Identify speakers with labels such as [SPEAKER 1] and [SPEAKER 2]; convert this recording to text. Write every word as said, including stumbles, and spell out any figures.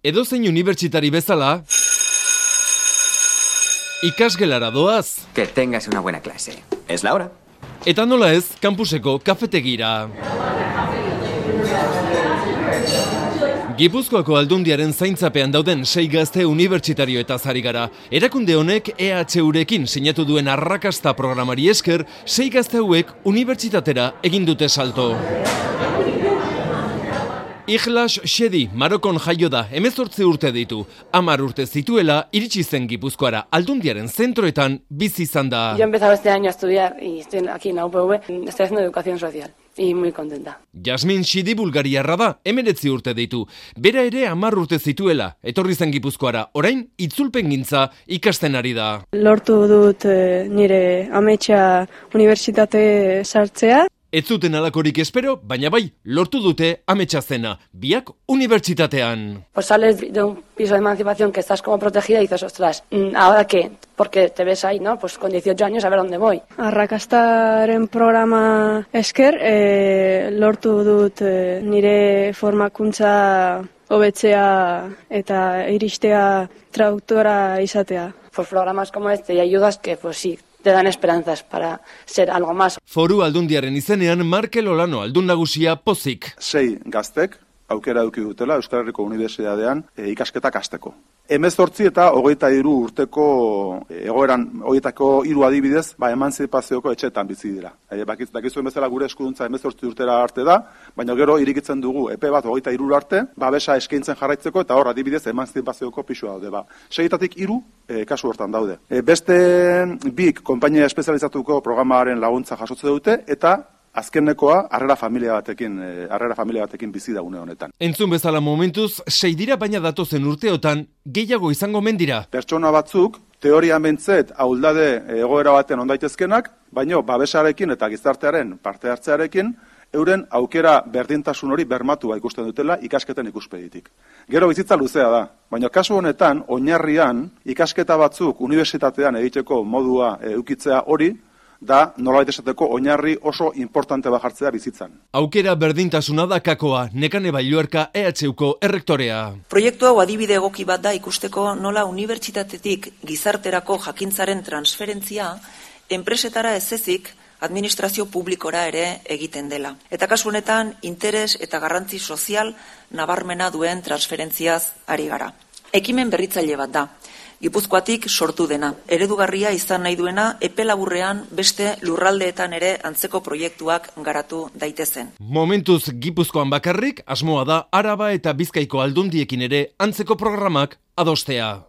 [SPEAKER 1] Edozein unibertsitari bezala, ikasgelara doaz.
[SPEAKER 2] Que tengas una buena clase. Es la hora.
[SPEAKER 1] Eta nola ez, kampuseko kafetegira. Gipuzkoako Aldundiaren zaintzapean dauden sei gazte unibertsitario eta zari gara. Erakunde honek E H Urekin sinatu duen arrakasta programari esker, sei gazte hauek unibertsitatera egin dute salto. Ikhlas Shedi, Marokon jaio da, hemezortzi urte ditu. Hamar urte zituela, iritsi zen Gipuzkoara Aldundiaren zentroetan bizi izan da.
[SPEAKER 3] Yo he empezado este año a estudiar y estoy aquí en la U P V, estoy haciendo educación social. Y muy contenta.
[SPEAKER 1] Jasmin Shidi bulgariarra da, hemeretzi urte ditu. Bera ere hamar urte zituela, etorri zen Gipuzkoara, orain itzulpengintza ikasten ari da.
[SPEAKER 4] Lortu dut eh, nire ametsa unibertsitate sartzea.
[SPEAKER 1] Ez zuten alakorik espero, baina bai, lortu dute ametsa zena, biak unibertsitatean.
[SPEAKER 3] Pues sales de un piso de emancipación que estás como protegida y dices, ostras, ¿ahora qué? Porque te ves ahí, ¿no? Pues con dieciocho años a ver dónde voy.
[SPEAKER 4] Arrakastaren programa esker, eh, lortu dut eh, nire formakuntza hobetzea eta iristea traductora izatea.
[SPEAKER 3] Pues programas como este y ayudas que, pues sí, te dan esperanzas para ser algo más.
[SPEAKER 1] Foru Aldundiaren izenean Markel Olano aldun nagusia pozik.
[SPEAKER 5] Sei gaztek aukera eduki dutela Euskal Herriko Unibertsitatean e, ikasketak hasteko. Hemezortzi eta hogeita hiru urteko e, egoeran horietako hiru adibidez, ba emantzipazioko etxeetan bizi dira. E, bakit, dakizuen bezala gure eskuduntza hemezortzi urtera arte da, baina gero irikitzen dugu epe bat hogeita hiru arte, babesa eskaintzen jarraitzeko eta hor adibidez emantzipazioko pisua daude. Ba, seietatik hiru e, kasu hortan daude. E, beste bik konpainia espezializatuko programaren laguntza jasotze dute eta azkenekoa harrera familia batekin, harrera familia batekin bizi da une honetan.
[SPEAKER 1] Entzun bezala momentuz, sei dira baina datozen urteotan gehiago izango mendira.
[SPEAKER 5] Pertsona batzuk, teorian bentzet, ahuldade egoera baten ondaitezkenak, baino babesarekin eta gizartearen parte hartzearekin, euren aukera berdintasun hori bermatua ikusten dutela ikasketen ikuspegitik. Gero bizitza luzea da, baina kasu honetan, oinarrian, ikasketa batzuk unibertsitatean egiteko modua eukitzea hori, da nolabait esateko oinarri oso importante bajartzea bizitzan.
[SPEAKER 1] Aukera berdintasuna da kakoa, Nekane Bailuerka E H Uko errektorea.
[SPEAKER 6] Proiektu hau adibide egoki bat da ikusteko nola unibertsitatetik gizarterako jakintzaren transferentzia enpresetara ez ezik administrazio publikora ere egiten dela. Eta kasu honetan interes eta garrantzi sozial nabarmena duen transferentziaz ari gara. Ekimen berritzaile bat da. Gipuzkoatik sortu dena. Eredugarria izan nahi duena epe laburrean beste lurraldeetan ere antzeko proiektuak garatu daitezen.
[SPEAKER 1] Momentuz Gipuzkoan bakarrik, asmoa da Araba eta Bizkaiko aldundiekin ere antzeko programak adostea.